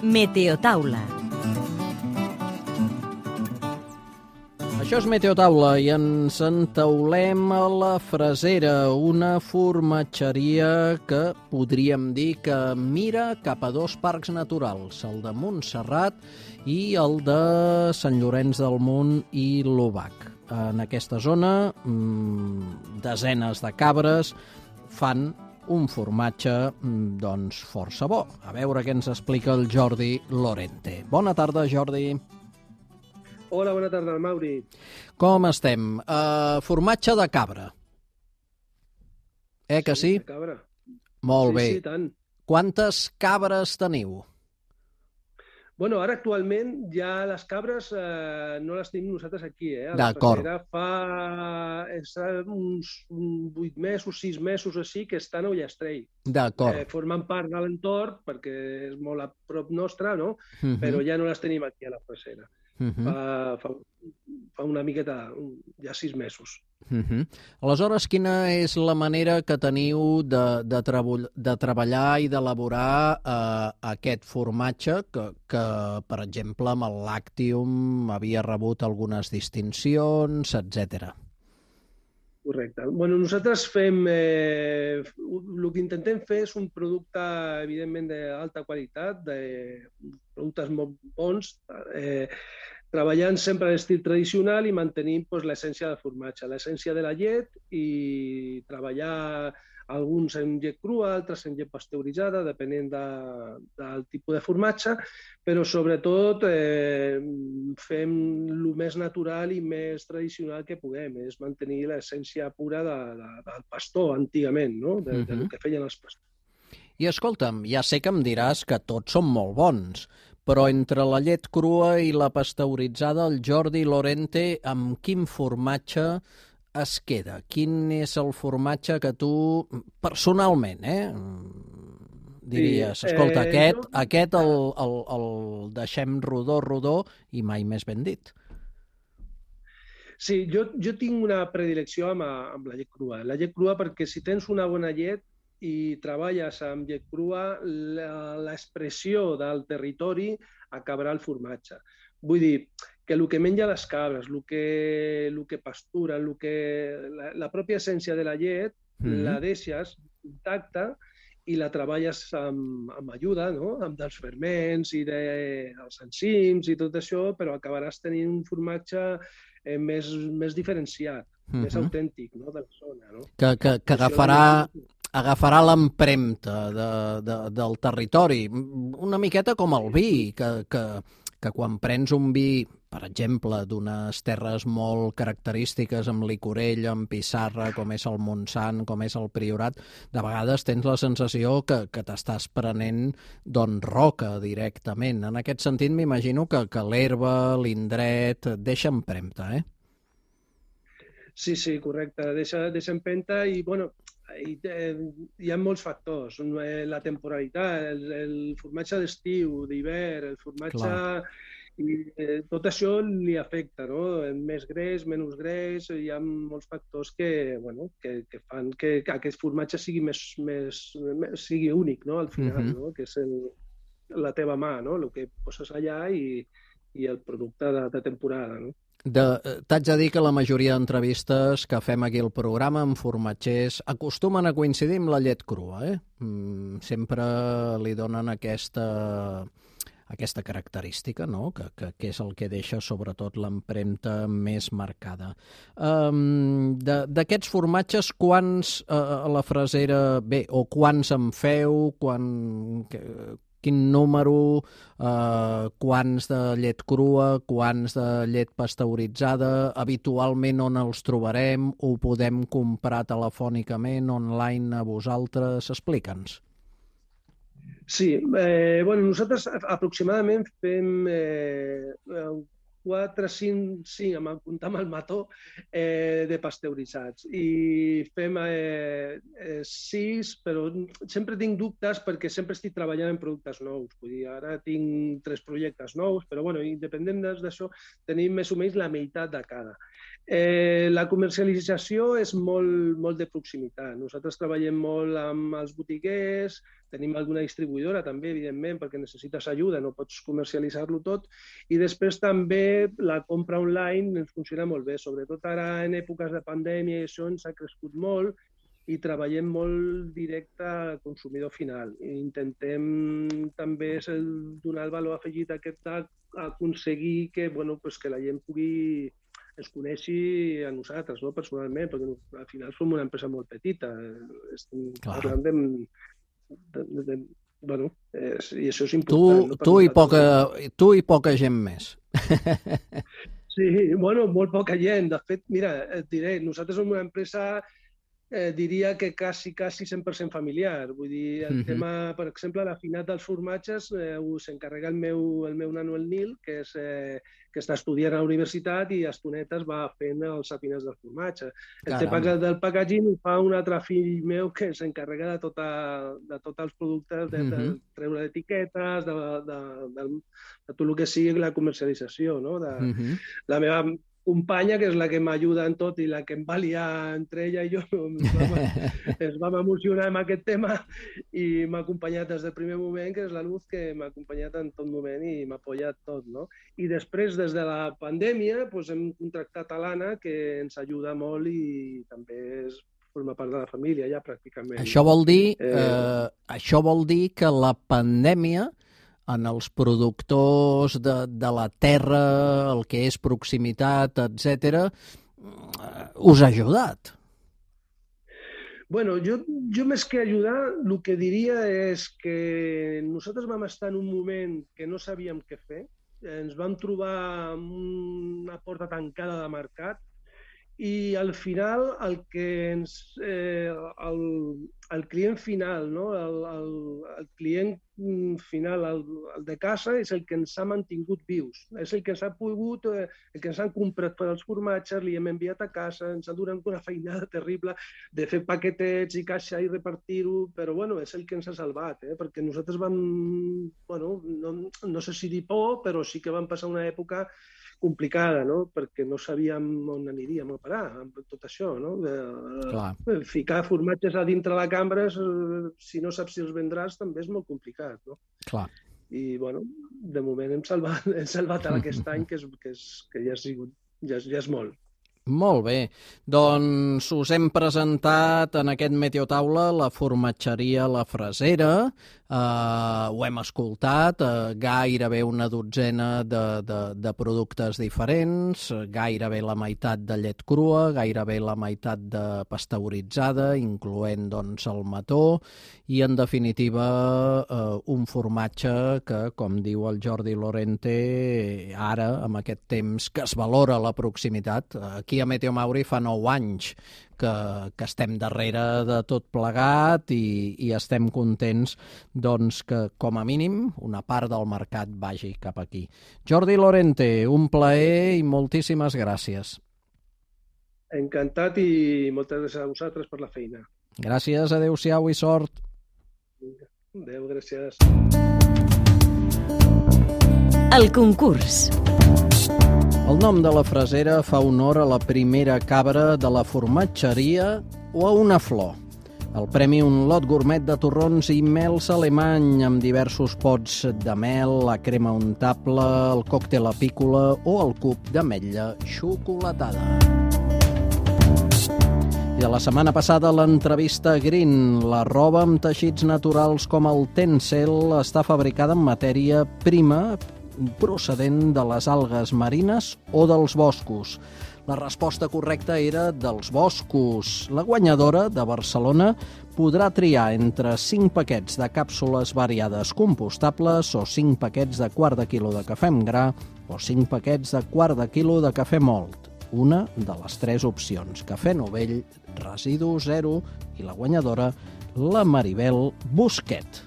Meteotaula. Això és Meteotaula i ens entaulem a la Fresera, una formatgeria que podríem dir que mira cap a dos parcs naturals, el de Montserrat i el de Sant Llorenç del Munt i l'Obac. En aquesta zona, desenes de cabres fan un formatge doncs força bo. A veure què ens explica el Jordi Lorente. Bona tarda, Jordi. Hola, bona tarda, Mauri. Com estem? Formatge de cabra. Que sí? De cabra. Molt bé. Sí, tant. Quantes cabres teniu? Bueno, ara actualment ja les cabres no les tenim nosaltres aquí, a la D'acord. Fresera. Fa uns 8 mesos, 6 mesos així que estan a Ullastrell. D'acord. Formen part de l'entorn perquè és molt a prop nostre, no? Però ja no les tenim aquí a la Fresera. Fa una miqueta, ja 6 mesos. Aleshores, quina és la manera que teniu de treballar i d'elaborar aquest formatge que, per exemple, amb el Lactium havia rebut algunes distincions, etc. Correcte. Bueno, nosaltres fem... el que intentem fer és un producte, evidentment, d'alta qualitat, de productes molt bons, treballant sempre a l'estil tradicional i mantenint l'essència del formatge, l'essència de la llet i treballar alguns en llet crua, altres en llet pasteuritzada, depenent del tipus de formatge, però sobretot fem el més natural i més tradicional que puguem, és mantenir l'essència pura del pastor antigament, no? Del que feien els pastors. I escolta'm, ja sé que em diràs que tots són molt bons, però entre la llet crua i la pasteuritzada, el Jordi Lorente, amb quin formatge es queda? Quin és el formatge que tu, personalment, diries, escolta, aquest el deixem rodó i mai més ben dit? Sí, jo tinc una predilecció amb la llet crua. La llet crua perquè si tens una bona llet i treballes amb llet crua, l'expressió del territori acabarà el formatge. Vull dir que el que menja les cabres, el que pastura, la pròpia essència de la llet, la deixes intacta i la treballes amb ajuda, no? Amb dels ferments i dels enzims i tot això, però acabaràs tenint un formatge més diferenciat, més autèntic, no? De la zona. No? Que agafarà l'empremta del territori, una miqueta com el vi, que quan prens un vi, per exemple, d'unes terres molt característiques amb licorell, amb pissarra, com és el Montsant, com és el Priorat, de vegades tens la sensació que t'estàs prenent roca directament. En aquest sentit, m'imagino que l'herba, l'indret, deixa empremta, Sí, correcte. Deixa empenta i, bueno, hi ha molts factors. La temporalitat, el formatge d'estiu, d'hivern, el formatge... Clar. I tot això li afecta, no? Més greix, menys greix, hi ha molts factors que fan que aquest formatge sigui únic, no? Al final, no? Que és la teva mà, no? El que poses allà i el producte de temporada, no? T'haig de dir que la majoria d'entrevistes que fem aquí al programa amb formatgers acostumen a coincidir amb la llet crua, Sempre li donen aquesta característica, no? Que és el que deixa sobretot l'empremta més marcada. D'aquests formatges, quants a la Fresera, o quants en feu, quin número, quants de llet crua, quants de llet pasteuritzada, habitualment on els trobarem, ho podem comprar telefònicament, online a vosaltres? Explica'ns. Sí, nosaltres aproximadament fem 4, 5, comptant amb el mató, de pasteuritzats. I fem 6, però sempre tinc dubtes perquè sempre estic treballant en productes nous. Vull dir, ara tinc 3 projectes nous, però independent d'això, tenim més o menys la meitat de cada. La comercialització és molt de proximitat. Nosaltres treballem molt amb els botiguers, tenim alguna distribuïdora també, evidentment, perquè necessites ajuda, no pots comercialitzar-lo tot. I després també la compra online ens funciona molt bé, sobretot ara en èpoques de pandèmia i això ens ha crescut molt i treballem molt directe al consumidor final. I intentem també donar el valor afegit aquest d'aconseguir que, que la gent pugui ens coneixi a nosaltres, no? Personalment, perquè al final som una empresa molt petita. Estem parlant i això és important. Tu i poca gent més. Sí, molt poca gent. De fet, mira, et diré, nosaltres som una empresa diria que quasi 100% familiar. Vull dir, el tema, per exemple, l'afinat dels formatges s'encarrega el meu nano, el Nil, que està estudiant a la universitat i a estonetes va fent els afinats del formatge. El tema del packaging ho fa un altre fill meu que s'encarrega de tots els productes, de treure etiquetes, de tot el que sigui la comercialització. La meva companya, que és la que m'ajuda en tot i la que em va liar entre ella i jo, ens vam emocionar amb aquest tema i m'ha acompanyat des del primer moment, que és la Luz, que m'ha acompanyat en tot moment i m'ha apoyat tot. I després, des de la pandèmia, hem contractat a l'Anna, que ens ajuda molt i també forma part de la família, ja pràcticament. Això vol dir que la pandèmia en els productors de la terra, el que és proximitat, etc., us ha ajudat? Bueno, jo més que ajudar, el que diria és que nosaltres vam estar en un moment que no sabíem què fer, ens vam trobar amb una porta tancada de mercat i al final el client final, el client final, el de casa, és el que ens ha mantingut vius. És el que ens ha pogut, el que ens han comprat per als formatges, li hem enviat a casa, ens ha donat una feinada terrible de fer paquetets i caixa i repartir-ho, però és el que ens ha salvat, perquè nosaltres vam, no sé si dir por, però sí que vam passar una època complicada, perquè no sabíem on aniríem a parar amb tot això. Ficar formatges a dintre la cambra, si no saps si els vendràs, també és molt complicat. I, de moment hem salvat aquest any, que ja és molt. Molt bé. Doncs us hem presentat en aquest Meteotaula la formatgeria La Frasera. Ho hem escoltat, gairebé una dotzena de productes diferents, gairebé la meitat de llet crua, gairebé la meitat de pasteuritzada, incloent el mató, i en definitiva un formatge que, com diu el Jordi Lorente, ara, amb aquest temps que es valora la proximitat, aquí a Meteo Mauri fa 9 anys que estem darrere de tot plegat i estem contents que, com a mínim, una part del mercat vagi cap aquí. Jordi Lorente, un plaer i moltíssimes gràcies. Encantat i moltes gràcies a vosaltres per la feina. Gràcies, adéu-siau i sort. Adéu, gràcies. El concurs. El nom de la frasera fa honor a la primera cabra de la formatgeria o a una flor. El premi, un lot gourmet de torrons i mels alemany amb diversos pots de mel, la crema untable, el còctel apícola o el cub d'ametlla xocolatada. I de la setmana passada, l'entrevista Green. La roba amb teixits naturals com el Tencel està fabricada en matèria prima procedent de les algues marines o dels boscos. La resposta correcta era dels boscos. La guanyadora de Barcelona podrà triar entre 5 paquets de càpsules variades compostables o 5 paquets de quart de quilo de cafè amb gra o 5 paquets de quart de quilo de cafè mòlt. Una de les 3 opcions. Cafè novell, residu zero i la guanyadora, la Maribel Busquet.